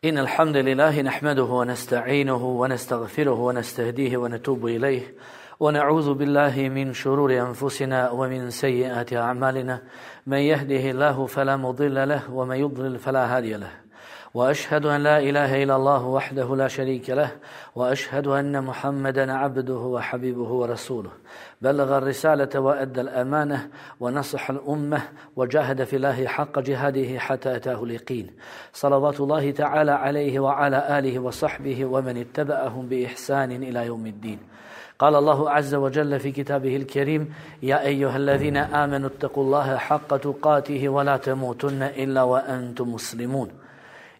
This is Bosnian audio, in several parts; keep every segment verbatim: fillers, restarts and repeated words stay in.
إن الحمد لله نحمده ونستعينه ونستغفره ونستهديه ونتوب إليه ونعوذ بالله من شرور أنفسنا ومن سيئات أعمالنا من يهده الله فلا مضل له ومن يضلل فلا هادي له وأشهد أن لا إله إلا الله وحده لا شريك له وأشهد أن محمدا عبده وحبيبه ورسوله بلغ الرسالة وأدى الأمانة ونصح الأمة وجاهد في الله حق جهاده حتى أتاه اليقين صلوات الله تعالى عليه وعلى آله وصحبه ومن اتبعهم بإحسان إلى يوم الدين. قال الله عز وجل في كتابه الكريم: يا أيها الذين آمنوا اتقوا الله حق تقاته ولا تموتن إلا وأنتم مسلمون.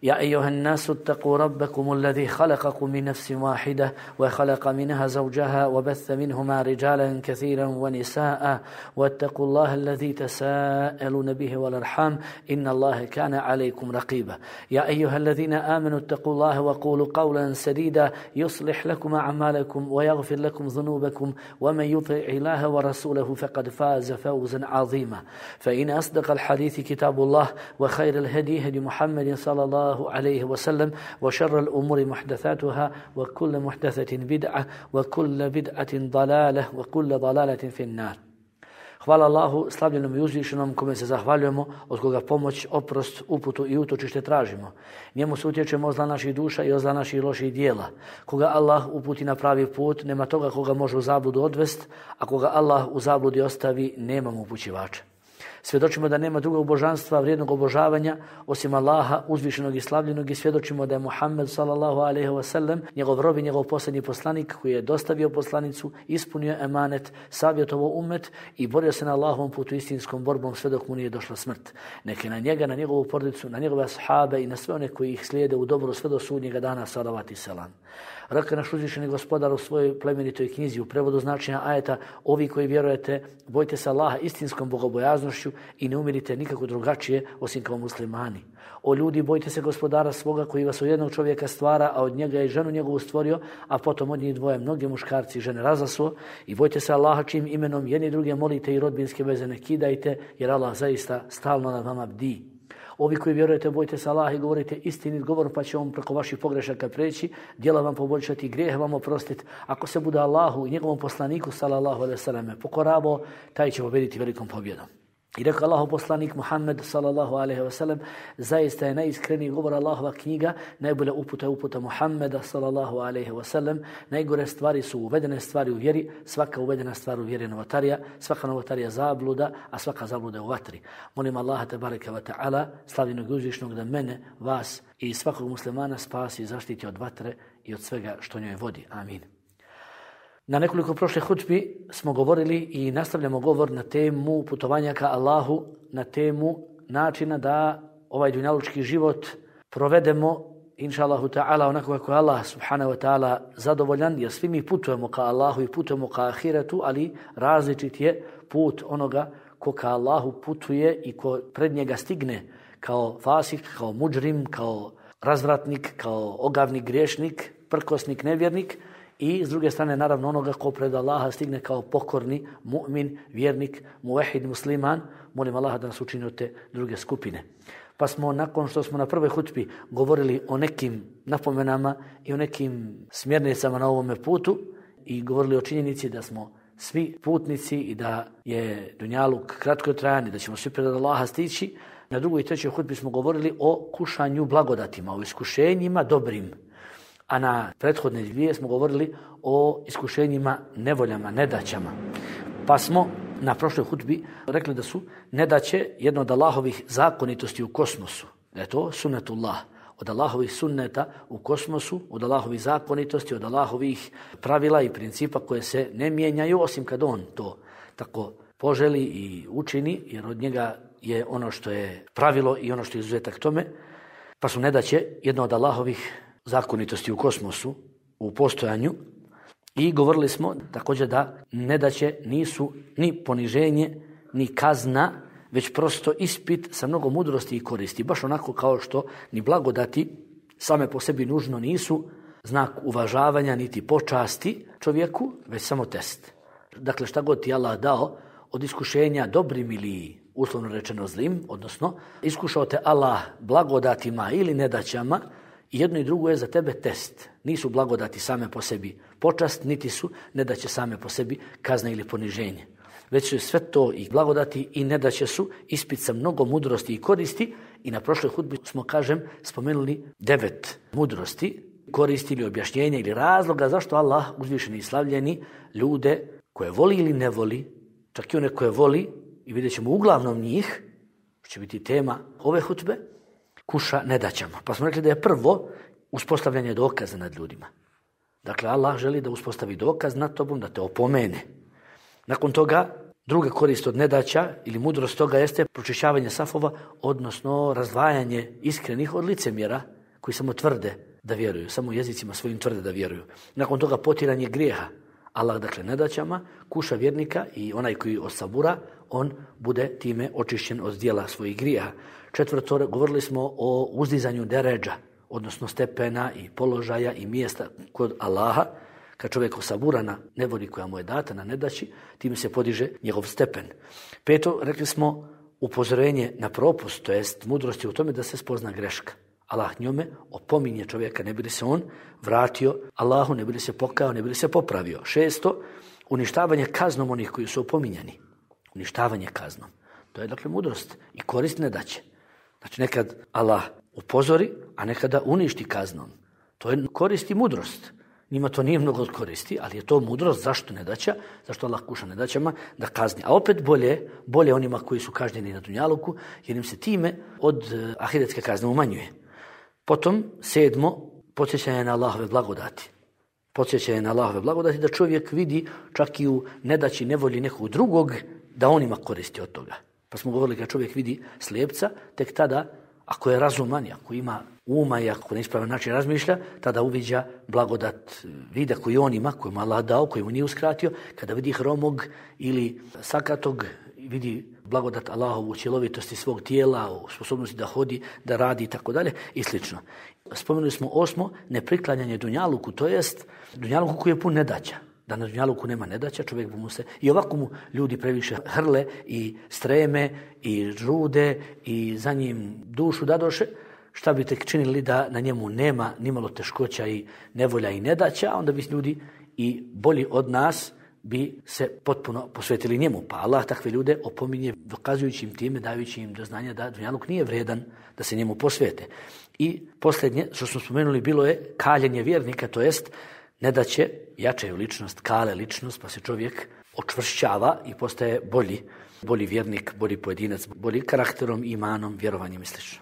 يا أيها الناس اتقوا ربكم الذي خلقكم من نفس واحدة وخلق منها زوجها وبث منهما رجالا كثيرا ونساء واتقوا الله الذي تساءلون به والأرحام إن الله كان عليكم رقيبا. يا أيها الذين آمنوا اتقوا الله وقولوا قولا سديدا يصلح لكم أعمالكم ويغفر لكم ذنوبكم ومن يطع الله ورسوله فقد فاز فوزا عظيما. فإن أصدق الحديث كتاب الله وخير الهدي هدي محمد صلى الله عليه وسلم وشر الأمور محدثاتها وكل محدثة بدعة وكل بدعة ضلالة وكل ضلالة في النار. Hvala Allahu, slavljenom i uzvišenom, kome se zahvaljujemo, od koga pomoć, oprost, uputu i utočište tražimo. Njemu se utječemo od zla naših duša i od zla naših loših dijela. Koga Allah uputi na pravi put, nema toga koga može u zabludu odvest, a koga Allah u zabludi ostavi, nema mu upućivača. Svjedočimo da nema drugog božanstva vrijednog obožavanja osim Allaha uzvišenog i slavljenog i svjedočimo da je Muhammed sallallahu alejhi ve sellem njegov rob i njegov posljednji poslanik koji je dostavio poslanicu, ispunio emanet, savjetovao ummet i borio se na Allahovom putu istinskom borbom sve dok mu nije došla smrt. Neka na njega, na njegovu porodicu, na njegove ashabe i na sve one koji ih slijede u dobro sve do sudnjega dana salavat i selam. Rekao naš uzvišeni gospodar u svojoj plemenitoj knjizi u prevodu značenja ajeta: ovi koji vjerujete, bojte se Allaha istinskom bogobojaznošću i ne umirite nikako drugačije osim kao muslimani. O ljudi, bojte se gospodara svoga koji vas od jednog čovjeka stvara, a od njega je ženu njegovu stvorio, a potom od njih dvoje mnoge muškarci i žene razasuo. I bojte se Allaha čijim imenom jedni druge molite i rodbinske veze ne kidajte, jer Allah zaista stalno nad vama bdi. Ovi koji vjerujete, bojte se Allaha i govorite istinit govor, pa će on preko vaših pogrešaka preći, djela vam poboljšati, grijehe vam oprostiti. Ako se bude Allahu i njegovom poslaniku sallallahu alejhi ve sellem pokoravo, taj će pobjediti velikom pobjedom. I rekao Allahov poslanik Muhammed sallallahu alejhi ve sellem: zaista je najiskreniji govor Allahova knjiga, najbolja uputa je uputa Muhammeda sallallahu alejhi ve sellem. Najgore stvari su uvedene stvari u vjeri, svaka uvedena stvar u vjeri je novotarija, svaka novotarija zabluda, a svaka zabluda je u vatri. Molim Allaha tebareke ve taala, slavljenog i uzvišnog, da mene, vas i svakog muslimana spasi i zaštiti od vatre i od svega što njoj vodi. Amin. Na nekoliko prošle hutbi smo govorili i nastavljamo govor na temu putovanja ka Allahu, na temu načina da ovaj dunjalučki život provedemo, inša Allahu ta'ala, onako kako je Allah subhanahu wa ta'ala zadovoljan, jer svi mi putujemo ka Allahu i putujemo ka ahiretu, ali različit je put onoga ko ka Allahu putuje i ko pred njega stigne kao fasik, kao mudžrim, kao razvratnik, kao ogavnik, griješnik, prkosnik, nevjernik. I s druge strane, naravno, onoga ko pred Allaha stigne kao pokorni mu'min, vjernik, muvahid, musliman. Molim Allaha da nas učini od te druge skupine. Pa smo, nakon što smo na prvoj hutbi govorili o nekim napomenama i o nekim smjernicama na ovome putu i govorili o činjenici da smo svi putnici i da je dunjaluk kratko trajan i da ćemo svi pred Allaha stići, na drugoj i trećoj hutbi smo govorili o kušanju blagodatima, o iskušenjima dobrim. A na prethodne dvije smo govorili o iskušenjima, nevoljama, nedaćama. Pa smo na prošloj hutbi rekli da su nedaće jedno od Allahovih zakonitosti u kosmosu. Da je to sunnetullah. Od Allahovih sunneta u kosmosu, od Allahovih zakonitosti, od Allahovih pravila i principa koje se ne mijenjaju osim kad on to tako poželi i učini, jer od njega je ono što je pravilo i ono što je izuzetak tome. Pa su nedaće jedno od Allahovih zakonitosti u kosmosu, u postojanju, i govorili smo također da nedaće nisu ni poniženje, ni kazna, već prosto ispit sa mnogo mudrosti i koristi. Baš onako kao što ni blagodati same po sebi nužno nisu znak uvažavanja niti počasti čovjeku, već samo test. Dakle, šta god ti Allah dao od iskušenja dobrim ili uslovno rečeno zlim, odnosno iskušao te Allah blagodatima ili nedaćama, I jedno i drugo je za tebe test. Nisu blagodati same po sebi počast, niti su nedaće same po sebi kazna ili poniženje. Već su sve to i blagodati i nedaće su ispit sa mnogo mudrosti i koristi. I na prošloj hudbi smo, kažem, spomenuli devet mudrosti, koristi ili objašnjenja ili razloga zašto Allah, uzvišeni i slavljeni, ljude koje voli ili ne voli, čak i one koje voli, i vidjet ćemo uglavnom njih, što će biti tema ove hudbe, kuša nedaćama. Pa smo rekli da je prvo uspostavljanje dokaza nad ljudima. Dakle, Allah želi da uspostavi dokaz nad tobom, da te opomene. Nakon toga, druga korist od nedaća ili mudrost toga jeste pročišćavanje safova, odnosno razdvajanje iskrenih od licemjera koji samo tvrde da vjeruju, samo jezicima svojim tvrde da vjeruju. Nakon toga potiranje grijeha. Allah, dakle, nedaćama kuša vjernika i onaj koji osabura, on bude time očišćen od djela svojih grijeha. Četvrto, govorili smo o uzdizanju deredža, odnosno stepena i položaja i mjesta kod Allaha. Kad čovjek osabura na nevoli koja mu je data, na nedaći, time se podiže njegov stepen. Peto, rekli smo upozorenje na propust, to jest mudrost je u tome da se spozna greška. Allah njome opominje čovjeka, ne bi li se on vratio Allahu, ne bi li se pokajao, ne bi li se popravio. Šesto, uništavanje kaznom onih koji su opominjani. Uništavanje kaznom. To je dakle mudrost i korist nedaće. Znači nekad Allah upozori, a nekada uništi kaznom. To je korist i mudrost. Njima to nije mnogo koristi, ali je to mudrost. Zašto nedaća? Zašto Allah kuša nedaćama? Da kazni. A opet bolje, bolje onima koji su kažnjeni na dunjaluku, jer im se time od ahiretske kazne umanjuje. Potom, sedmo, podsjećanje na Allahove blagodati. Podsjećanje na Allahove blagodati da čovjek vidi čak i u nedaći, nevolji nekog drugog, da on ima koristi od toga. Pa smo govorili kad čovjek vidi slijepca, tek tada, ako je razuman, ako ima uma i ako na ispravan način razmišlja, tada uviđa blagodat vida koji on ima, koji mu Allah dao, koji mu nije uskratio. Kada vidi hromog ili sakatog, vidi blagodat Allahovu u cjelovitosti svog tijela, u sposobnosti da hodi, da radi i tako dalje i slično. Spomenuli smo osmo, nepriklanjanje dunjaluku, to jest dunjaluku koji je pun nedaća. Da na dunjaluku nema nedaća, čovjek mu se, i ovako mu ljudi previše hrle i streme i žude i za njim dušu dadoše. Šta bi tek činili da na njemu nema nimalo teškoća i nevolja i nedaća, onda bi ljudi i bolji od nas bi se potpuno posvetili njemu. Pa Allah takve ljude opominje dokazujući im time, dajući im do znanja da dunjaluk nije vredan da se njemu posvete. I posljednje, što smo spomenuli, bilo je kaljenje vjernika, to jest nedaće jačaju ličnost, kale ličnost, pa se čovjek očvršćava i postaje bolji, bolji vjernik, bolji pojedinac, bolji karakterom, imanom, vjerovanjem i sl.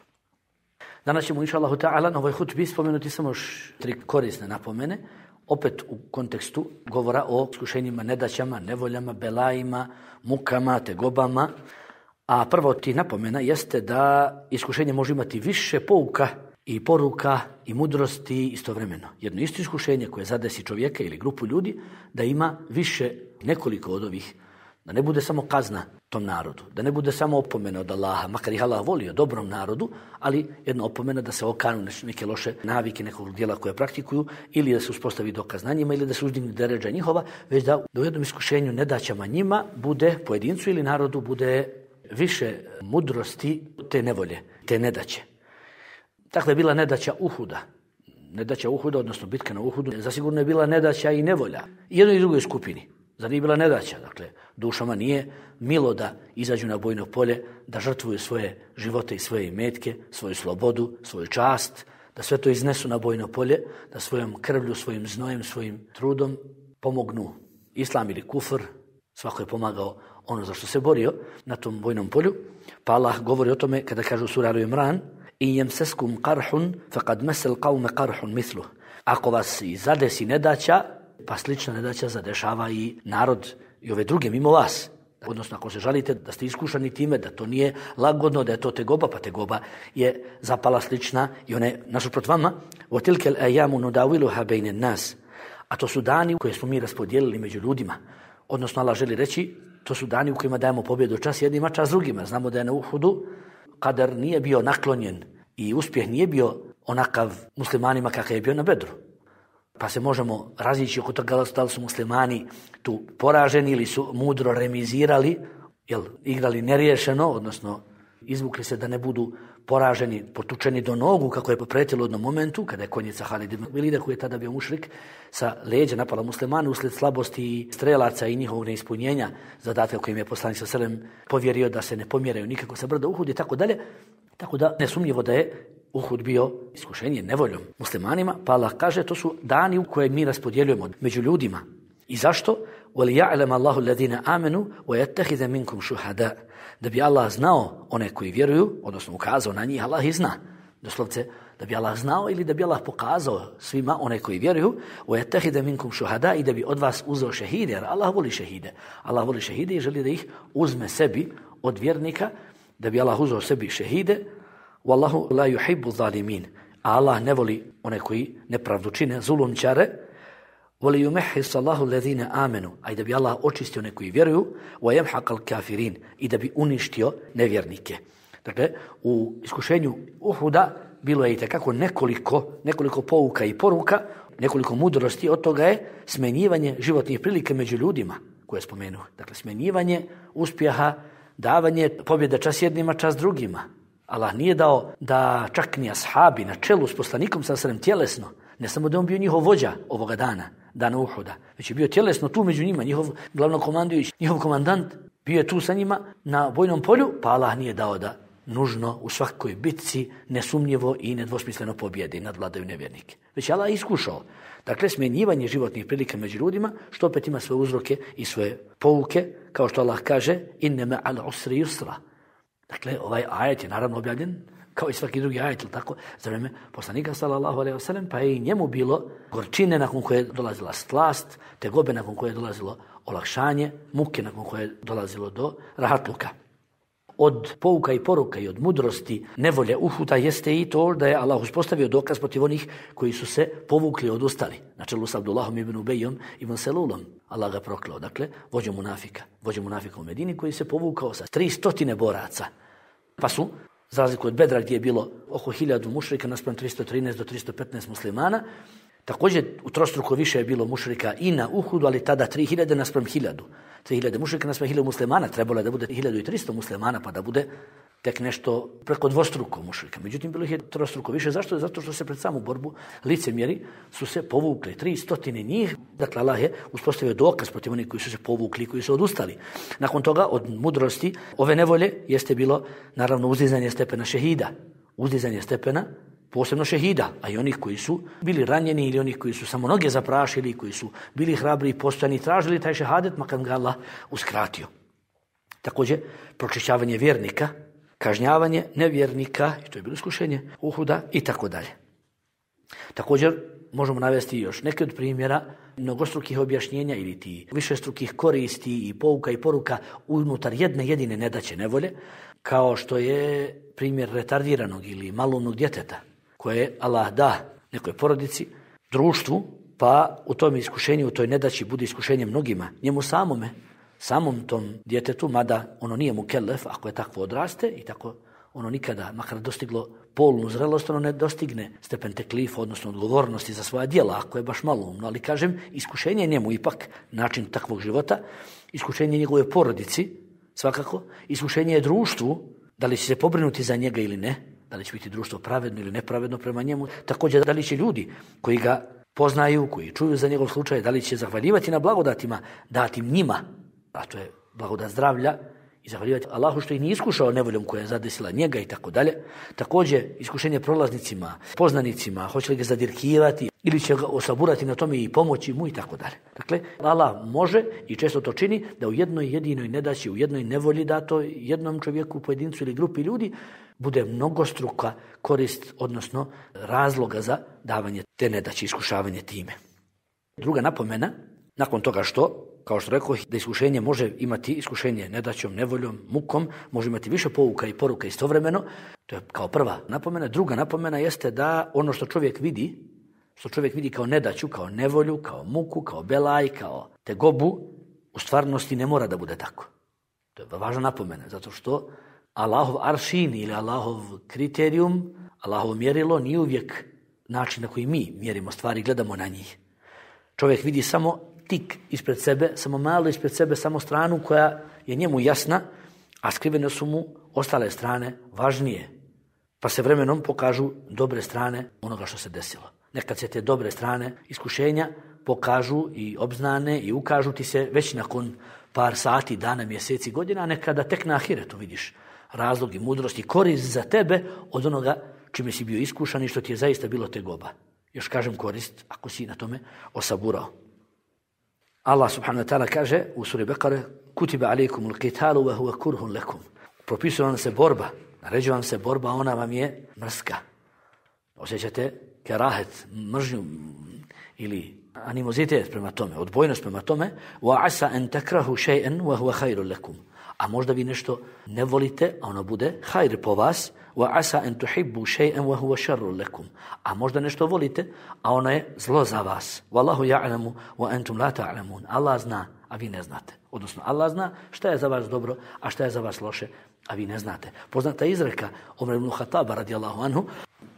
Danas ćemo, inša Allahu ta'ala, na ovoj hutbi spomenuti samo još tri korisne napomene, opet u kontekstu govora o iskušenjima, nedaćama, nevoljama, belajima, mukama, tegobama. A prva od tih napomena jeste da iskušenje može imati više pouka i poruka i mudrosti istovremeno. Jedno isto iskušenje koje zadesi čovjeka ili grupu ljudi, da ima više, nekoliko od ovih, da ne bude samo kazna tom narodu, da ne bude samo opomena od Allaha, makar ih Allah volio dobrom narodu, ali jedna opomena da se okanu neke loše navike, nekog djela koje praktikuju, ili da se uspostavi dokaz na njima, ili da se uzdigne deredža njihova, već da u jednom iskušenju nedaćama njima bude, pojedincu ili narodu, bude više mudrosti te nevolje, te nedaće. Takva je bila nedaća Uhuda. Nedaća Uhuda, odnosno bitka na Uhudu, zasigurno je bila nedaća i nevolja. I jednoj i drugoj skupini. Zar nije bila nedaća? Dakle, dušama nije milo da izađu na bojno polje, da žrtvuju svoje živote i svoje imetke, svoju slobodu, svoju čast, da sve to iznesu na bojno polje, da svojom krvlju, svojim znojem, svojim trudom pomognu islam ili kufr. Svako je pomagao ono za što se borio na tom bojnom polju. Pa Allah govori o tome kada kaže u suri Al-Imran: "In yamsaskum qarhun faqad masal qawma qarhun mithluh." Ako vas i zadesi nedaća, pa slična nedaća zadešava i narod i ove druge mimo vas. Odnosno, ako se žalite da ste iskušani time, da to nije lagodno, da je to tegoba, pa tegoba je zapala slična i one nasuprot vama. وَتِلْكَ الْأَيَّامُ نُدَاوِلُهَا بَيْنَ النَّاسِ. A to su dani koje smo mi raspodijelili među ljudima. Odnosno, Allah želi reći, to su dani u kojima dajemo pobjedu čas jednima, čas drugima. Znamo da je na Uhudu Kadar nije bio naklonjen i uspjeh nije bio onakav muslimanima kakav je bio na Bedru. Pa se možemo razići oko toga da li su muslimani tu poraženi ili su mudro remizirali, jel, igrali neriješeno, odnosno izvukli se da ne budu poraženi, potučeni do nogu, kako je pretilo u jednom momentu, kada je konjica Halid ibn Velida, koji je tada bio mušrik, sa leđa napala muslimane usled slabosti strelaca i njihovog neispunjenja zadatka kojim je poslanik sallallahu alejhi ve sellem povjerio da se ne pomjeraju nikako sa brda Uhud i tako dalje. Tako da nesumnjivo da je Uhud bio iskušenje nevoljom muslimanima, pa Allah kaže to su dani u koje mi raspodjeljujemo među ljudima. I zašto? وَلِيَعْلَمَ اللَّهُ الَّذِينَ آمَنُوا وَيَتَّخِذَ مِنْكُمْ شُهَدَاءَ. Da bi Allah znao one koji vjeruju, odnosno ukazao na njih, Allah ih zna. Doslovce, da bi Allah znao ili da bi Allah pokazao svima one koji vjeruju, وَيَتَّخِذَ مِنْكُمْ شُهَدَاءَ, i da bi od vas uzeo šehide, jer Allah voli šehide. Allah voli šehide i želi da ih uzme sebi od vjernika, da bi Allah uzeo sebi šehide. وَاللَّهُ لَا يُحِبُّ الظَّالِمِينَ. A Allah ne voli one koji nepravdu čine, zulumčare. وَلِيُمَحِّصَ اللَّهُ الَّذِينَ آمَنُوا, a i da bi Allah očistio one koji vjeruju, وَيَمْحَقَ الْكَافِرِينَ, i da bi uništio nevjernike. Dakle, u iskušenju Uhuda bilo je i takako nekoliko, nekoliko pouka i poruka, nekoliko mudrosti, od toga je smenjivanje životnih prilika među ljudima, koje spomenuo. Dakle, smenjivanje uspjeha, davanje pobjede čas jednima, čas drugima. Allah nije dao da čak ni ashabi na čelu s poslanikom sallallahu alejhi ve sellem tjelesno, ne samo da on bio njihov vođa ovoga dana, dana Uhuda, već je bio tjelesno tu među njima, njihov glavnokomandujući, njihov komandant, bio je tu sa njima na bojnom polju, pa Allah nije dao da nužno u svakoj bitci nesumnjivo i nedvosmisleno pobjedi nad vladaju nevjernike. Već je Allah iskušao. Dakle, smjenjivanje životnih prilika među ljudima, što opet ima svoje uzroke i svoje pouke, kao što Allah kaže, innema al usri yusra. Dakle, ovaj ajet je naravno objavljen kao i svaki drugi ajet, tako, za vreme poslanika sallallahu alejhi ve sellem, pa je i njemu bilo gorčine nakon koje je dolazila slast, tegobe nakon koje je dolazilo olakšanje, muke nakon koje je dolazilo do rahatluka. Od pouka i poruka i od mudrosti nevolje Uhuda jeste i to da je Allah uspostavio dokaz protiv onih koji su se povukli, odustali. Na čelu s Abdullahom ibn Ubejom ibn Selulom. Allah ga proklao. Dakle, vođom munafika. Vođom munafika u Medini koji se povukao sa tri stotine boraca. Pa su, za razliku od Bedra gdje je bilo oko hiljadu mušrika naspram tristo trinaest do tristo petnaest muslimana, također u trostruko više je bilo mušrika i na Uhudu, ali tada tri hiljade naspram hiljadu. tri hiljade mušrika naspram hiljadu muslimana, trebalo je da bude hiljadu tristo muslimana, pa da bude tek nešto preko dvostruko mušrika. Međutim, bilo ih je trostruko više. Zašto? Zato što se pred samu borbu licemjeri su se povukli. Tri stotine njih. Dakle, Allah je uspostavio dokaz protiv onih koji su se povukli, koji su odustali. Nakon toga, od mudrosti ove nevolje jeste bilo, naravno, uzdizanje stepena šehida. Uzdizanje stepena posebno šehida, a i onih koji su bili ranjeni ili onih koji su samo noge zaprašili, koji su bili hrabri i postojani, tražili taj šehadet, makar ga Allah uskratio. Također, pročišćavanje vjernika, kažnjavanje nevjernika, i to je bilo iskušenje Uhuda, i tako dalje. Također, možemo navesti još neke od primjera mnogostrukih objašnjenja ili ti višestrukih koristi i pouka i poruka unutar jedne jedine nedaće nevolje, kao što je primjer retardiranog ili malumnog djeteta, koje Allah da nekoj porodici, društvu, pa u tom iskušenju, u toj nedaći bude iskušenje mnogima, njemu samome, samom tom djetetu, mada ono nije mu kelef, ako je takvo odraste i tako ono nikada, makar dostiglo polnu zrelost, ono ne dostigne stepen teklifa, odnosno odgovornosti za svoja djela, ako je baš malumno. Ali kažem, iskušenje njemu ipak način takvog života, iskušenje njegove porodici, svakako, iskušenje je društvu, da li će se pobrinuti za njega ili ne, da li će biti društvo pravedno ili nepravedno prema njemu, također da li će ljudi koji ga poznaju, koji čuju za njegov slučaj, da li će zahvaljivati na blagodatima, dati njima, a to je blagodat zdravlja, i zahvaljivati Allahu što ih nije iskušao nevoljom koja je zadesila njega i tako dalje. Također iskušenje prolaznicima, poznanicima, hoće li ga zadirkivati ili će ga osaburati na tome i pomoći mu i tako dalje. Dakle, Allah može i često to čini da u jednoj jedinoj nedaći, u jednoj nevolji dato jednom čovjeku, pojedincu ili grupi ljudi bude mnogostruka korist, odnosno razloga za davanje te nedaći, iskušavanje time. Druga napomena, nakon toga što, kao što rekao, da iskušenje može imati iskušenje nedaćom, nevoljom, mukom, može imati više pouka i poruka istovremeno, to je kao prva napomena. Druga napomena jeste da ono što čovjek vidi, što čovjek vidi kao nedaću, kao nevolju, kao muku, kao belaj, kao tegobu, u stvarnosti ne mora da bude tako. To je važna napomena, zato što Allahov aršin ili Allahov kriterijum, Allahovo mjerilo nije uvijek način na koji mi mjerimo stvari, gledamo na njih. Čovjek vidi samo tik ispred sebe, samo malo ispred sebe, samo stranu koja je njemu jasna, a skrivene su mu ostale strane važnije. Pa se vremenom pokažu dobre strane onoga što se desilo. Nekad se te dobre strane iskušenja pokažu i obznane i ukažu ti se već nakon par sati, dana, mjeseci, godina, a nekada tek na ahiretu vidiš razlog i mudrost i korist za tebe od onoga čime si bio iskušan i što ti je zaista bilo tegoba. Još kažem korist ako si na tome osaburao. Allah subhanahu wa ta'ala kaže u suri Bekare: Kutiba alejkumul qitalu wa huwa kurhun lakum. Propisuje vam se borba, naređuje vam se borba, ona vam je mrska. Osjećate kerahet, mržnju ili animozitet prema tome, odbojnost prema tome. Wa asa an takrahu shay'an wa huwa khairun lakum. A možda vi nešto ne volite, a ono bude hajr po vas. Wa asa an tuhibbu shay'an wa huwa sharrun lakum. A možda nešto volite, a ono je zlo za vas. Wallahu ya'lamu wa antum la ta'lamun. Allah zna, a vi ne znate. Odnosno Allah zna šta je za vas dobro, a šta je za vas loše, a vi ne znate. Poznata izreka Omer ibn Khattaba radijallahu anhu,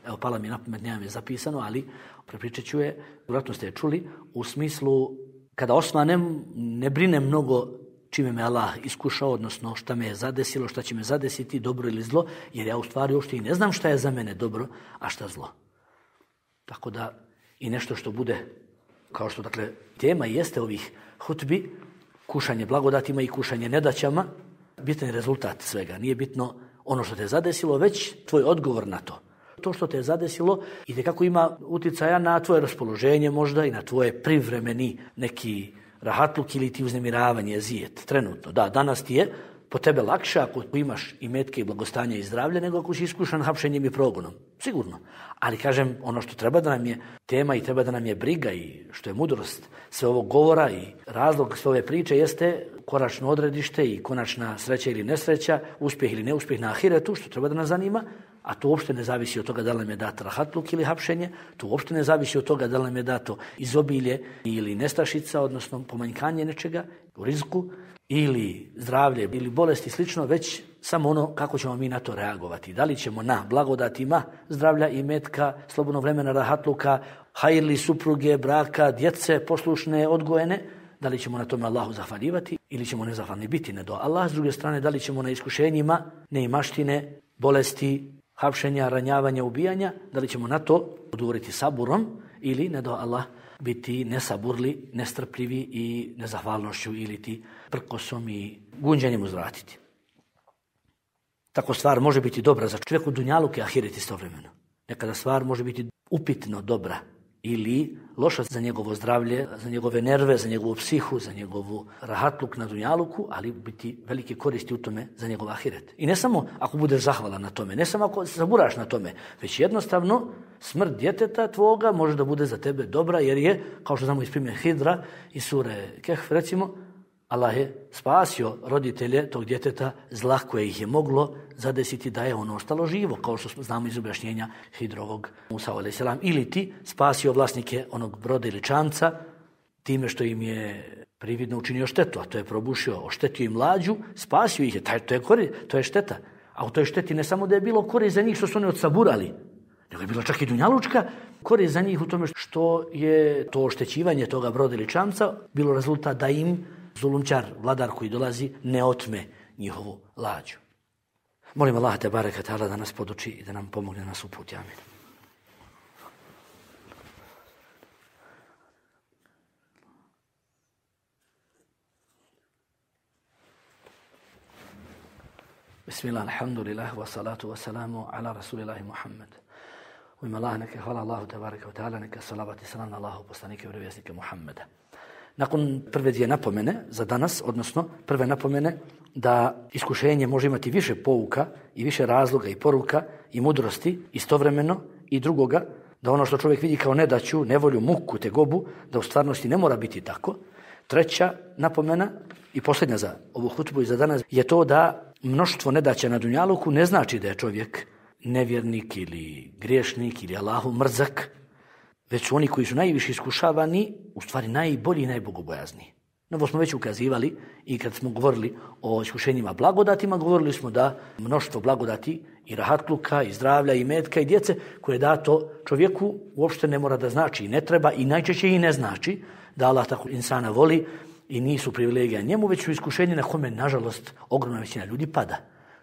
evo pala mi na pamet, nemam je zapisano, ali prepričat ću je, vjerojatno ste je čuli, u smislu kada osvanem ne brinem mnogo čime me Allah iskušao, odnosno šta me je zadesilo, šta će me zadesiti, dobro ili zlo, jer ja u stvari uopšte i ne znam šta je za mene dobro, a šta zlo. Tako da i nešto što bude, kao što dakle tema jeste ovih hutbi, kušanje blagodatima i kušanje nedaćama, bitan je rezultat svega. Nije bitno ono što te je zadesilo, već tvoj odgovor na to. To što te je zadesilo itekako ima uticaja na tvoje raspoloženje možda i na tvoje privremeni neki rahatluk ili ti uznemiravanje, zijet, trenutno. Da, danas ti je po tebe lakše ako imaš i metke i blagostanja i zdravlje nego ako si iskušan hapšenjem i progonom. Sigurno. Ali kažem, ono što treba da nam je tema i treba da nam je briga i što je mudrost sve ovog govora i razlog sve ove priče jeste konačno odredište i konačna sreća ili nesreća, uspjeh ili neuspjeh na ahiretu, što treba da nas zanima, a to uopšte ne zavisi od toga da li nam je dato rahatluk ili hapšenje, to uopšte ne zavisi od toga da li nam je dato izobilje ili nestašica, odnosno pomanjkanje nečega u rizku, ili zdravlje ili bolesti i slično, već samo ono kako ćemo mi na to reagovati. Da li ćemo na blagodatima zdravlja i metka, slobodnog vremena, rahatluka, hajrli supruge, braka, djece, poslušne, odgojene, da li ćemo na tome Allahu zahvaljivati ili ćemo nezahvalni biti ne do Allah. S druge strane, da li ćemo na iskušenjima, neimaštine, bolesti, hapšenja, ranjavanja, ubijanja, da li ćemo na to odgovoriti saburom ili ne do Allah biti nesaburli, nestrpljivi i nezahvalnošću ili ti prkosom i gunđanjem uzvratiti. Tako stvar može biti dobra za čovjeku dunjaluk i ahiret istovremeno. Nekada stvar može biti upitno dobra ili loša za njegovo zdravlje, za njegove nerve, za njegovu psihu, za njegovu rahatluk na dunjaluku, ali biti velike koristi u tome za njegov ahiret. I ne samo ako budeš zahvalan na tome, ne samo ako se zaburaš na tome, već jednostavno smrt djeteta tvoga može da bude za tebe dobra, jer je, kao što znamo iz primjer Hidra i sure Kehf, recimo, Allah je spasio roditelje tog djeteta zla koje ih je moglo zadesiti da je ono ostalo živo, kao što znamo iz objašnjenja Hidrovog Musa alejhi selam, ili ti spasio vlasnike onog broda ili čamca time što im je prividno učinio štetu, a to je probušio, oštetio im lađu, spasio ih je, taj, to, je kori, to je šteta. A u toj šteti ne samo da je bilo korist za njih što su oni odsaburali, nego je bilo čak i dunjalučka korist za njih u tome što je to oštećivanje toga broda ili čamca bilo rezultat da im zulumčar, vladar koji dolazi, ne otme njihovu lađu. Molim Allah te bareka ta'ala da nas poduči i da nam pomogne nas uputi. Amin. Bismillah, alhamdulillah, wa salatu wa salamu ala rasulillahi Muhammad. U ime Allah, neka hvala Allahu te bareka wa ta'ala, neka salavat i salam na Allahu poslanike i vjerovjesnike Muhammeda. Nakon prve dvije napomene za danas, odnosno prve napomene da iskušenje može imati više pouka i više razloga i poruka i mudrosti istovremeno, i drugoga da ono što čovjek vidi kao nedaću, nevolju, muku, tegobu, da u stvarnosti ne mora biti tako. Treća napomena i posljednja za ovu hutbu i za danas je to da mnoštvo nedaća na dunjaluku ne znači da je čovjek nevjernik ili griješnik ili Allahu mrzak, već su oni koji su najviše iskušavani, u stvari najbolji i najbogobojazniji. No, ovo smo već ukazivali i kad smo govorili o iskušenjima blagodatima, govorili smo da mnoštvo blagodati i rahatluka, i zdravlja, i metka, i djece koje je dato čovjeku uopšte ne mora da znači i ne treba i najčešće i ne znači da Allah tako insana voli i nisu privilegija njemu, već su iskušenje na kome, nažalost, ogromna većina ljudi pada.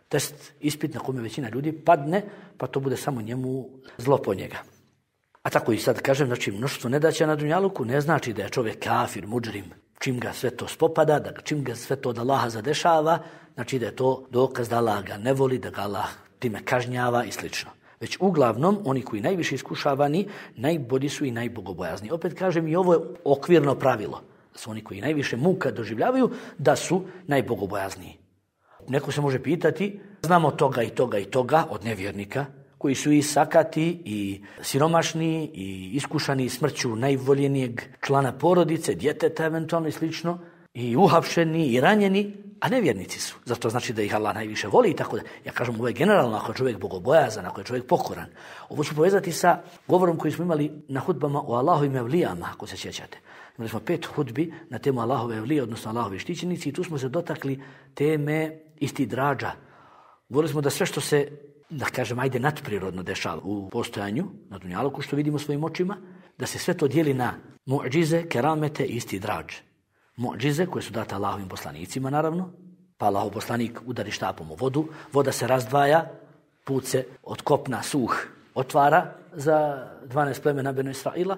test, ispit na kome većina ljudi padne, pa to bude samo njemu zlo po njega. A tako i sad kažem, znači mnoštvo nedaća na dunjaluku ne znači da je čovjek kafir, mudžrim, čim ga sve to spopada, da čim ga sve to od Allaha zadešava, znači da je to dokaz da Allah ga ne voli, da ga Allah time kažnjava i slično. Već uglavnom, oni koji najviše iskušavani, najbolji su i najbogobojazni. Opet kažem, i ovo je okvirno pravilo. Da su oni koji najviše muka doživljavaju, da su najbogobojazniji. Neko se može pitati, znamo toga i toga i toga od nevjernika, koji su i sakati, i siromašni, i iskušani smrću najvoljenijeg člana porodice, djeteta eventualno i slično, i uhapšeni, i ranjeni, a nevjernici su. Zato znači da ih Allah najviše voli i tako da. Ja kažem, ovo je generalno, ako je čovjek bogobojazan, ako je čovjek pokoran. Ovo ću povezati sa govorom koji smo imali na hudbama o Allahovim evlijama, ako se sjećate. Imali smo pet hudbi na temu Allahove evlije, odnosno Allahove štićenici, i tu smo se dotakli teme istidrađa. Govorili smo da sve što se, da kažem, ajde nadprirodno dešava u postojanju, na dunjaluku, što vidimo svojim očima, da se sve to dijeli na mu'džize, keramete i istidrađ. Mu'džize koje su date Allahovim poslanicima, naravno, pa Allahov poslanik udari štapom u vodu, voda se razdvaja, put se od kopna suh otvara za dvanaest plemena Benu Israila,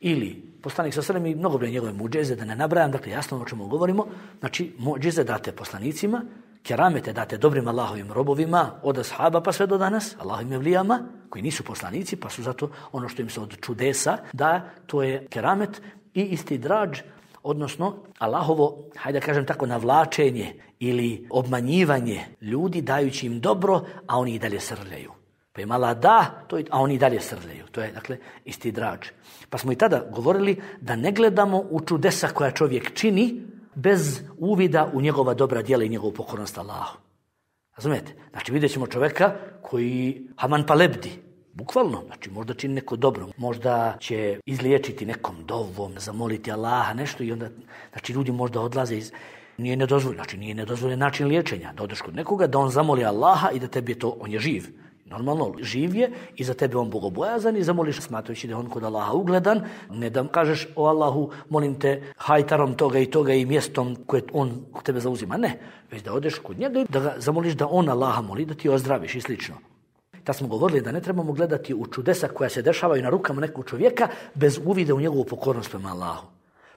ili poslanik sa sredem i mnogobrojne njegove mu'džize, da ne nabrajam, dakle jasno o čemu govorimo, znači mu'džize date poslanicima, keramete date dobrim Allahovim robovima, od ashaba pa sve do danas, Allahovim evlijama, koji nisu poslanici, pa su zato ono što im se od čudesa da, to je keramet i istidrađ, odnosno Allahovo, hajde da kažem tako, navlačenje ili obmanjivanje ljudi dajući im dobro, a oni i dalje srljaju. Pa im Allah da, to je, a oni i dalje srljaju. To je, dakle, istidrađ. Pa smo i tada govorili da ne gledamo u čudesa koja čovjek čini bez uvida u njegova dobra djela i njegovu pokornost Allahu. Razumijete? Znači vidjet ćemo čovjeka koji haman pa lebdi. Bukvalno, znači možda čini neko dobro, možda će izliječiti nekom dovom, zamoliti Allaha nešto i onda, znači ljudi možda odlaze iz, nije nedozvoljeno, znači nije nedozvoljen način liječenja, da odeš kod nekoga, da on zamoli Allaha i da tebi je to, on je živ. Normalno, živ je i za tebe on bogobojazan i zamoliš smatrajući da je on kod Allaha ugledan, ne da kažeš o Allahu, molim te hajtarom toga i toga i mjestom koje on kod tebe zauzima, ne, već da odeš kod njega i da ga zamoliš da on Allaha moli, da ti ozdraviš i slično. Da smo govorili da ne trebamo gledati u čudesa koja se dešavaju na rukama nekog čovjeka bez uvida u njegovu pokornost prema Allahu.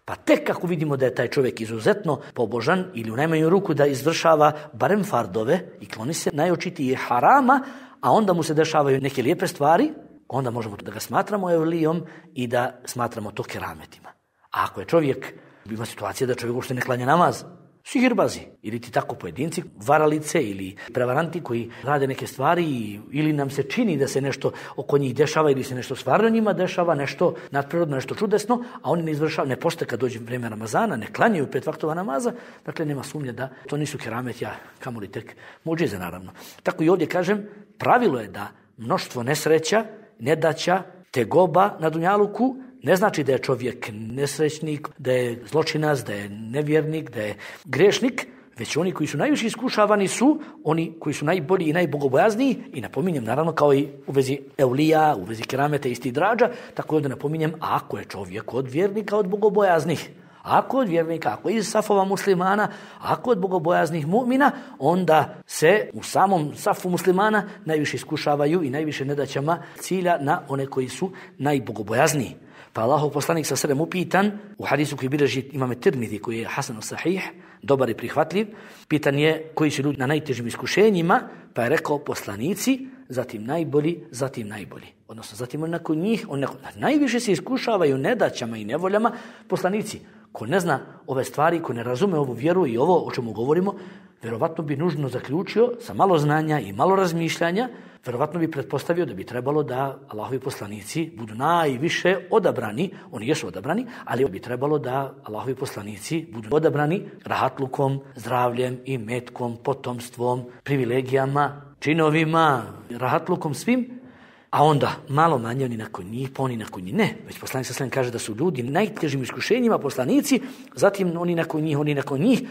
Pa tek kako vidimo da je taj čovjek izuzetno pobožan ili u najmanju ruku da izvršava barem fardove i kloni se najočitije harama, a onda mu se dešavaju neke lijepe stvari, onda možemo da ga smatramo evlijom i da smatramo to kerametima. A ako je čovjek, ima situacija da čovjek uopšte ne klanja namaz, sihirbazi, ili ti tako pojedinci, varalice ili prevaranti koji rade neke stvari ili nam se čini da se nešto oko njih dešava ili se nešto stvarno njima dešava, nešto nadprirodno, nešto čudesno, a oni ne izvršavaju, ne postoje kad dođe vrijeme Ramazana, ne klanjaju pet vaktova namaza, dakle nema sumnje da to nisu keramet, ja kamoli tek muđize naravno. Tako i ovdje kažem, pravilo je da mnoštvo nesreća, nedaća, tegoba na dunjaluku ne znači da je čovjek nesrećnik, da je zločinac, da je nevjernik, da je grešnik, već oni koji su najviše iskušavani su oni koji su najbolji i najbogobojazniji i napominjem naravno kao i u vezi evlija, u vezi kerameta i istidrađa, tako ovdje napominjem ako je čovjek od vjernika, od bogobojaznih. Ako od vjernika, ako iz safova muslimana, ako od bogobojaznih mu'mina, onda se u samom safu muslimana najviše iskušavaju i najviše nedaćama cilja na one koji su najbogobojazniji. Pa Allahov poslanik sa sredem upitan, u hadisu koji bilježi imame Tirmidhi, koji je hasan sahih, dobar i prihvatljiv, pitan je koji su ljudi na najtežim iskušenjima, pa je rekao poslanici, zatim najbolji, zatim najbolji. Odnosno, zatim on nakon njih, on nakon, najviše se iskušavaju nedaćama i nevoljama poslanici. Ko ne zna ove stvari, ko ne razume ovu vjeru i ovo o čemu govorimo, vjerovatno bi nužno zaključio sa malo znanja i malo razmišljanja, vjerovatno bi pretpostavio da bi trebalo da Allahovi poslanici budu najviše odabrani, oni jesu odabrani, ali bi trebalo da Allahovi poslanici budu odabrani rahatlukom, zdravljem i metkom, potomstvom, privilegijama, činovima, rahatlukom svim, a onda malo manje oni nakon njih, pa oni nakon njih. Ne, već poslanik sa sredem kaže da su ljudi najtežim iskušenjima poslanici, zatim oni nakon njih, oni nakon njih,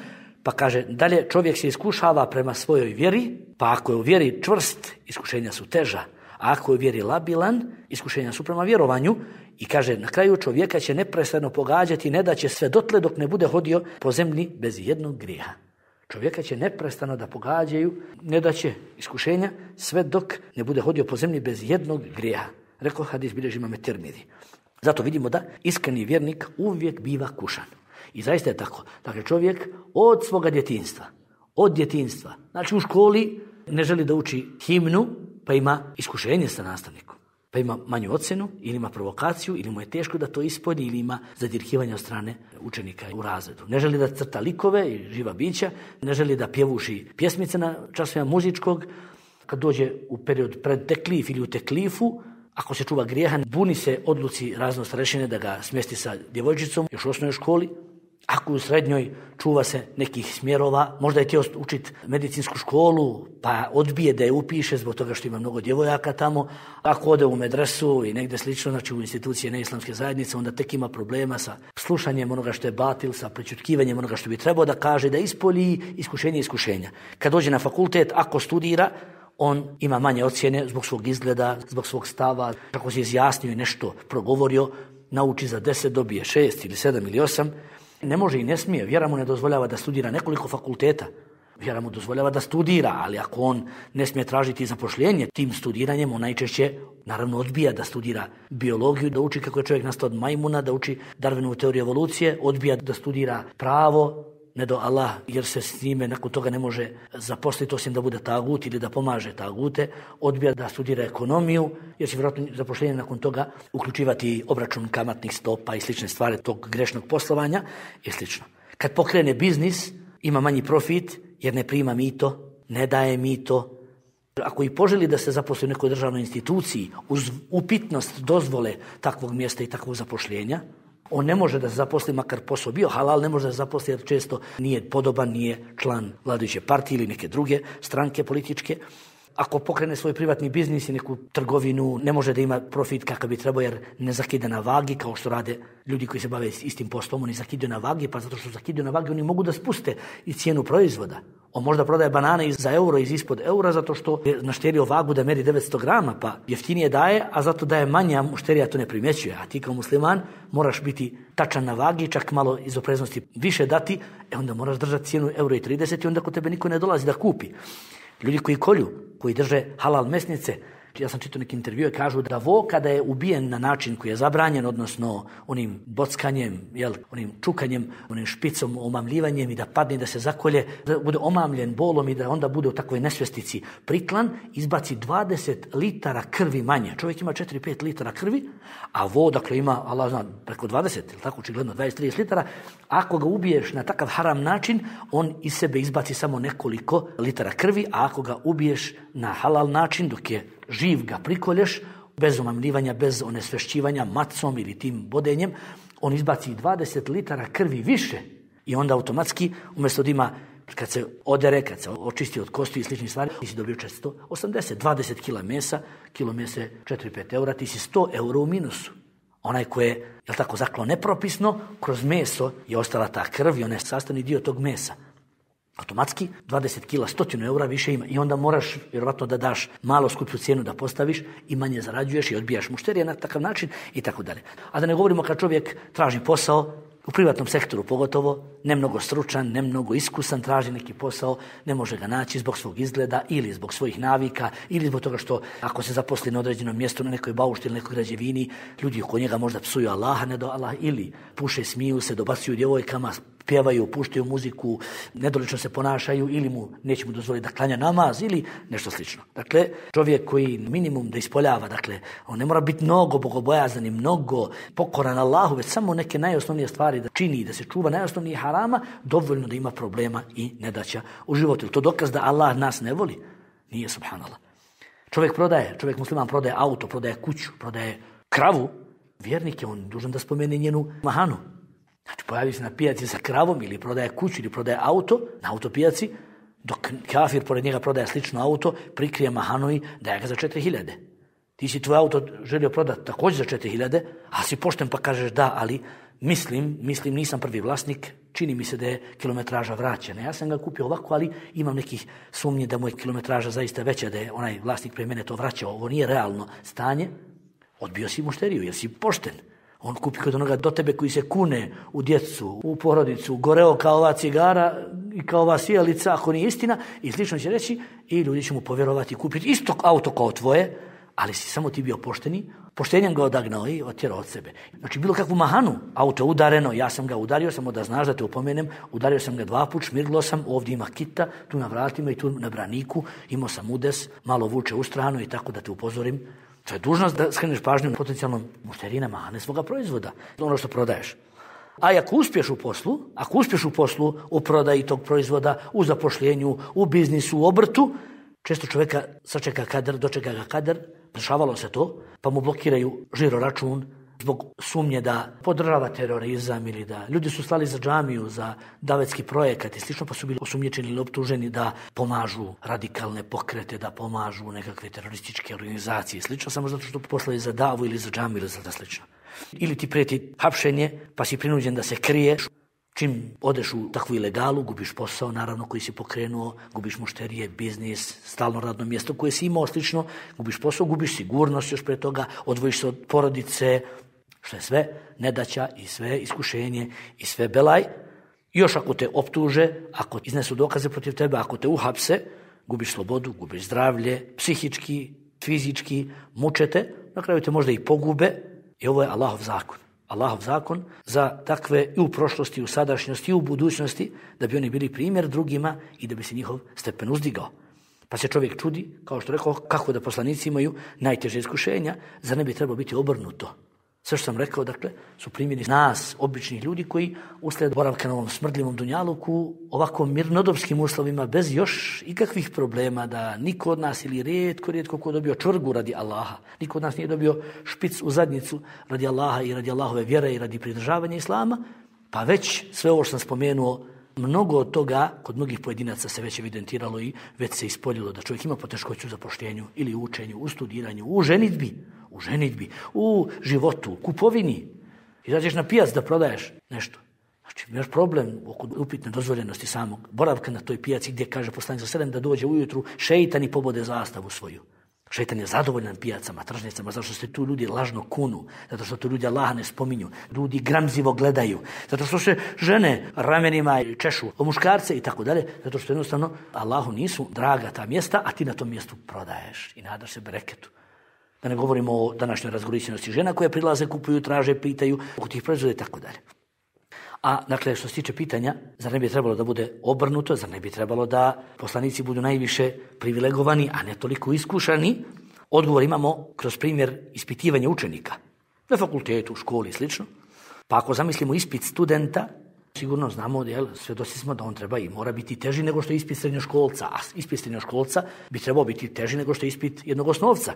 pa kaže dalje čovjek se iskušava prema svojoj vjeri, pa ako je u vjeri čvrst, iskušenja su teža, a ako je u vjeri labilan, iskušenja su prema vjerovanju i kaže na kraju čovjeka će neprestano pogađati, ne da će sve dotle dok ne bude hodio po zemlji bez jednog grijeha. Čovjeka će neprestano da pogađaju, ne da će iskušenja, sve dok ne bude hodio po zemlji bez jednog grijeha. Rekao hadis bilježi imam Tirmizi. Zato vidimo da iskreni vjernik uvijek biva kušan. I zaista je tako. Dakle, čovjek od svoga djetinjstva, od djetinjstva, znači u školi ne želi da uči himnu, pa ima iskušenje sa nastavnikom. Pa ima manju ocjenu, ili ima provokaciju, ili mu je teško da to ispolji, ili ima zadirkivanje od strane učenika u razredu. Ne želi da crta likove i živa bića, ne želi da pjevuši pjesmice na časovima muzičkog. Kad dođe u period pred teklif ili u teklifu, ako se čuva grijeha, buni se odluci razno starešine da ga smjesti sa djevojčicom još u osnovnoj školi. Ako u srednjoj čuva se nekih smjerova, možda je htio učiti medicinsku školu, pa odbije da je upiše zbog toga što ima mnogo djevojaka tamo. Ako ode u medresu i negdje slično, znači u institucije neislamske zajednice, onda tek ima problema sa slušanjem onoga što je batil, sa prečutkivanjem onoga što bi trebao da kaže, da ispolji iskušenje iskušenja. Kad dođe na fakultet, ako studira, on ima manje ocjene zbog svog izgleda, zbog svog stava, kako se izjasnio i nešto progovorio, nauči za deset, dobije šest ili sedam ili osam. Ne može i ne smije, vjera mu ne dozvoljava da studira nekoliko fakulteta. Vjera mu dozvoljava da studira, ali ako on ne smije tražiti zapošljenje tim studiranjem, on najčešće naravno odbija da studira biologiju, da uči kako je čovjek nastao od majmuna, da uči Darwinovu teoriju evolucije, odbija da studira pravo, ne do Allah, jer se s njime nakon toga ne može zaposliti osim da bude tagut ili da pomaže tagute, odbija da studira ekonomiju, jer će vjerojatno zapošljenje nakon toga uključivati obračun kamatnih stopa i slične stvari tog grešnog poslovanja i slično. Kad pokrene biznis, ima manji profit jer ne prima mito, ne daje mito. Ako i poželi da se zaposli u nekoj državnoj instituciji uz upitnost dozvole takvog mjesta i takvog zapošljenja, on ne može da se zaposli, makar posao bio halal, ne može da se zaposli jer često nije podoban, nije član vladajuće partije ili neke druge stranke političke. Ako pokrene svoj privatni biznis i neku trgovinu, ne može da ima profit kakav bi trebao jer ne zakida na vagi, kao što rade ljudi koji se bave istim poslom, oni zakidaju na vagi, pa zato što zakidaju na vagi oni mogu da spuste i cijenu proizvoda. On možda prodaje banane za euro iz ispod eura zato što je našterio vagu da meri devetsto grama, pa jeftinije daje, a zato daje manje, a mušterija to ne primjećuje. A ti kao musliman moraš biti tačan na vagi, čak malo iz opreznosti više dati, e onda moraš držati cijenu euro i trideset i onda kod tebe niko ne dolazi da kupi. Ljudi koji kolju, koji drže halal mesnice, ja sam čitao neki intervju i kažu da vo kada je ubijen na način koji je zabranjen, odnosno onim bockanjem, jel, onim čukanjem, onim špicom, omamljivanjem i da padne, da se zakolje, da bude omamljen bolom i da onda bude u takvoj nesvjestici priklan, izbaci dvadeset litara krvi manje. Čovjek ima četiri do pet litara krvi, a vo, dakle, ima, Allah zna, preko dvadeset, ili tako očigledno dvadeset do trideset litara. Ako ga ubiješ na takav haram način, on iz sebe izbaci samo nekoliko litara krvi, a ako ga ubiješ na halal način, dok je živ ga prikolješ, bez omamljivanja, bez onesvešćivanja, macom ili tim bodenjem, on izbaci dvadeset litara krvi više i onda automatski, umjesto da ima, kad se odere, kad se očisti od kosti i sličnih stvari, ti si dobio četiristo osamdeset, dvadeset kila mesa, kilo mesa četiri do pet eura, ti si sto eura u minusu. Onaj ko je, jel tako, zaklao nepropisno, kroz meso je ostala ta krv i on je sastavni dio tog mesa. Automatski dvadeset kila, stotinu eura više ima i onda moraš vjerovatno da daš malo skuplju cijenu da postaviš i manje zarađuješ i odbijaš mušterije na takav način i tako dalje. A da ne govorimo kad čovjek traži posao, u privatnom sektoru pogotovo, ne mnogo stručan, ne mnogo iskusan, traži neki posao, ne može ga naći zbog svog izgleda ili zbog svojih navika ili zbog toga što ako se zaposli na određenom mjestu, na nekoj baušti ili nekoj građevini, ljudi oko njega možda psuju Allaha, ne do Allah, ili puše, smiju se, dobacuju djevojkama, pjevaju, puštaju muziku, nedolično se ponašaju ili mu neće mu dozvoliti da klanja namaz ili nešto slično. Dakle, čovjek koji minimum da ispoljava, dakle, on ne mora biti mnogo bogobojazan i mnogo pokoran Allahu, već samo neke najosnovnije stvari da čini, da se čuva najosnovnije harama, dovoljno da ima problema i nedaća u životu. To dokaz da Allah nas ne voli? Nije, subhanallah. Čovjek prodaje, čovjek musliman prodaje auto, prodaje kuću, prodaje kravu, vjernik je on dužan da spomene njenu mahanu. Znači, pojavi se na pijaci sa kravom ili prodaje kuću ili prodaje auto na autopijaci, dok kafir pored njega prodaje slično auto, prikrije mahanu i daje ga za četiri hiljade. Ti si tvoj auto želio prodati također za četiri hiljade, a si pošten pa kažeš da, ali mislim, mislim nisam prvi vlasnik, čini mi se da je kilometraža vraćena. Ja sam ga kupio ovako, ali imam nekih sumnji da mu je kilometraža zaista veća, da je onaj vlasnik pre mene to vraćao. Ovo nije realno stanje. Odbio si mušteriju, jer si pošten. On kupi kod onoga do tebe koji se kune u djecu, u porodicu, goreo kao ova cigara, i kao ova sijalica, ako nije istina, i slično će reći, i ljudi će mu povjerovati i kupiti isto auto kao tvoje, ali si samo ti bio pošteni, poštenjem ga odagnao i otjerao od sebe. Znači, bilo kakvu mahanu, auto udareno, ja sam ga udario, samo da znaš da te upomenem, udario sam ga dva put, šmirglo sam, ovdje ima kita, tu na vratima i tu na braniku, imao sam udes, malo vuče u stranu i tako da te upozorim. To je dužnost da skreneš pažnju potencijalnom mušteriji na mahane svoga proizvoda, ono što prodaješ. A ako uspješ u poslu, ako uspješ u poslu, u prodaji tog proizvoda, u zapošljenju, u biznisu, u obrtu, često čovjeka sačeka kadar, dočeka ga kadar, dešavalo se to, pa mu blokiraju žiro račun zbog sumnje da podržava terorizam ili da ljudi su slali za džamiju, za davetski projekat i slično, pa su bili osumnjičeni ili optuženi da pomažu radikalne pokrete, da pomažu nekakve terorističke organizacije i slično, samo zato što poslali za davu ili za džamiju ili za da slično. Ili ti prijeti hapšenje, pa si prinuđen da se kriješ. Čim odeš u takvu ilegalu, gubiš posao, naravno, koji si pokrenuo, gubiš mušterije, biznis, stalno radno mjesto koje si imao slično, gubiš posao, gubiš sigurnost još pre toga, odvojiš se od porodice, što je sve nedaća i sve iskušenje i sve belaj. Još ako te optuže, ako iznesu dokaze protiv tebe, ako te uhapse, gubiš slobodu, gubiš zdravlje, psihički, fizički, mučete, na kraju te možda i pogube i ovo je Allahov zakon. Allahov zakon za takve i u prošlosti, i u sadašnjosti, i u budućnosti, da bi oni bili primjer drugima i da bi se njihov stepen uzdigao. Pa se čovjek čudi, kao što rekao, kako da poslanici imaju najteže iskušenja, zar ne bi trebalo biti obrnuto? Sve što sam rekao, dakle, su primjeri nas, običnih ljudi koji uslijed boravka na ovom smrdljivom dunjaluku, ovako mirnodopskim uslovima, bez još ikakvih problema, da niko od nas ili rijetko, rijetko ko dobio čvrgu radi Allaha, niko od nas nije dobio špic u zadnjicu radi Allaha i radi Allahove vjere i radi pridržavanja Islama, pa već sve ovo što sam spomenuo, mnogo od toga kod mnogih pojedinaca se već evidentiralo i već se ispoljilo da čovjek ima poteškoću u zapošljenju ili u učenju, u studiranju, u ženidbi, u ženidbi, u životu, u kupovini. Izađeš na pijac da prodaješ nešto. Znači, imaš problem oko upitne dozvoljenosti samog boravka na toj pijaci gdje kaže poslanik sallallahu alejhi ve sellem da dođe ujutru šeitan i pobode zastavu svoju. Šeitan je zadovoljan pijacama, tržnicama, zato što se tu ljudi lažno kunu, zato što tu ljudi Allaha ne spominju, ljudi gramzivo gledaju, zato što se žene ramenima češu o muškarce i tako dalje, zato što jednostavno Allahu nisu draga ta mjesta, a ti na tom mjestu prodaješ i nadaš se bereketu. Da ne govorimo o današnjoj razgoličenosti žena koje prilaze, kupuju, traže, pitaju oko tih proizvoda i tako dalje. A, dakle, što se tiče pitanja, zar ne bi trebalo da bude obrnuto, zar ne bi trebalo da poslanici budu najviše privilegovani, a ne toliko iskušani? Odgovor imamo kroz primjer ispitivanja učenika. Na fakultetu, u školi i slično. Pa ako zamislimo ispit studenta, sigurno znamo, jel, svjedoci smo da on treba i mora biti teži nego što je ispit srednjoškolca, a ispit srednjoškolca bi trebao biti teži nego što je ispit jednog osnovca.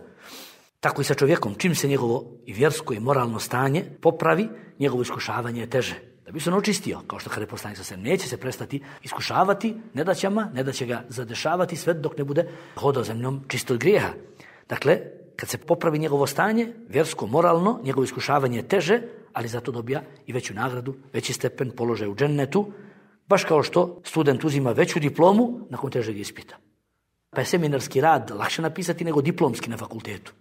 Tako i sa čovjekom, čim se njegovo i vjersko i moralno stanje popravi, njegovo iskušavanje je teže. Da bi se on očistio, kao što kaže poslanik sallallahu alejhi ve sellem, neće se prestati iskušavati nedaćama, ne da će ga zadešavati sve dok ne bude hodao zemljom čisto od grijeha. Dakle, kad se popravi njegovo stanje, vjersko, moralno, njegovo iskušavanje je teže, ali zato dobija i veću nagradu, veći stepen, položaj u džennetu, baš kao što student uzima veću diplomu nakon težeg ispita. Pa je seminarski rad lakše napisati nego diplomski na fakultetu.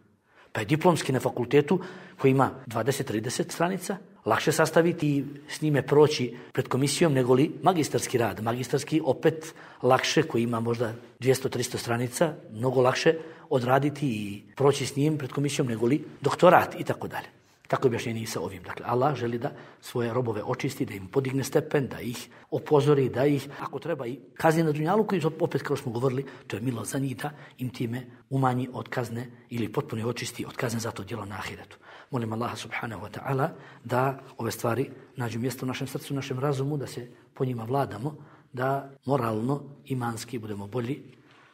Pa je diplomski na fakultetu koji ima dvadeset do trideset stranica, lakše sastaviti i s njime proći pred komisijom nego li magistarski rad. Magistarski opet lakše, koji ima možda dvjesto do tristo stranica, mnogo lakše odraditi i proći s njim pred komisijom nego li doktorat i tako dalje. Tako je objašnjenje i sa ovim. Dakle, Allah želi da svoje robove očisti, da im podigne stepen, da ih opozori, da ih, ako treba, i kazni na dunjalu, koji opet, kao smo govorili, to je milost za njih, da im time umanji od kazne ili potpuno očisti od kazne za to djelo na ahiretu. Molim Allaha subhanahu wa ta'ala da ove stvari nađu mjesto u našem srcu, u našem razumu, da se po njima vladamo, da moralno, imanski budemo bolji.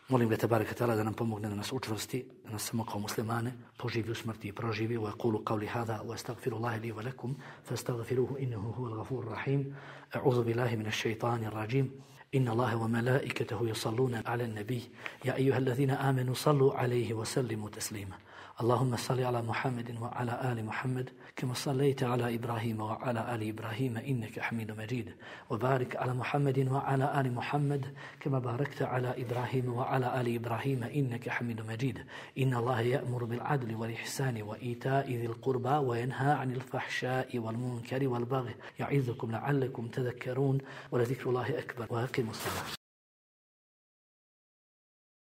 Molim ga tebareke ta'ala da nam pomogne, da nas učvrsti, da nas samo kao muslimane poživi u smrti i proživi. Wa aqulu qawli hadha wa astaghfirullaha li wa lakum fastaghfiruhu innahu huwal ghafurur rahim. A'udhu billahi minash shaitanir rajim. Inna Allaha wa malaikatahu yusalluna 'alan nabiy ya ayyuhalladhina amanu sallu 'alayhi wa sallimu taslima. اللهم صل على محمد وعلى آل محمد كما صليت على إبراهيم وعلى آل إبراهيم إنك حميد مجيد وبارك على محمد وعلى آل محمد كما باركت على إبراهيم وعلى آل إبراهيم إنك حميد مجيد إن الله يأمر بالعدل والإحسان وإيتاء ذي القربى وينهى عن الفحشاء والمنكر والبغي يعظكم لعلكم تذكرون ولذكر الله أكبر وأقيموا الصلاة.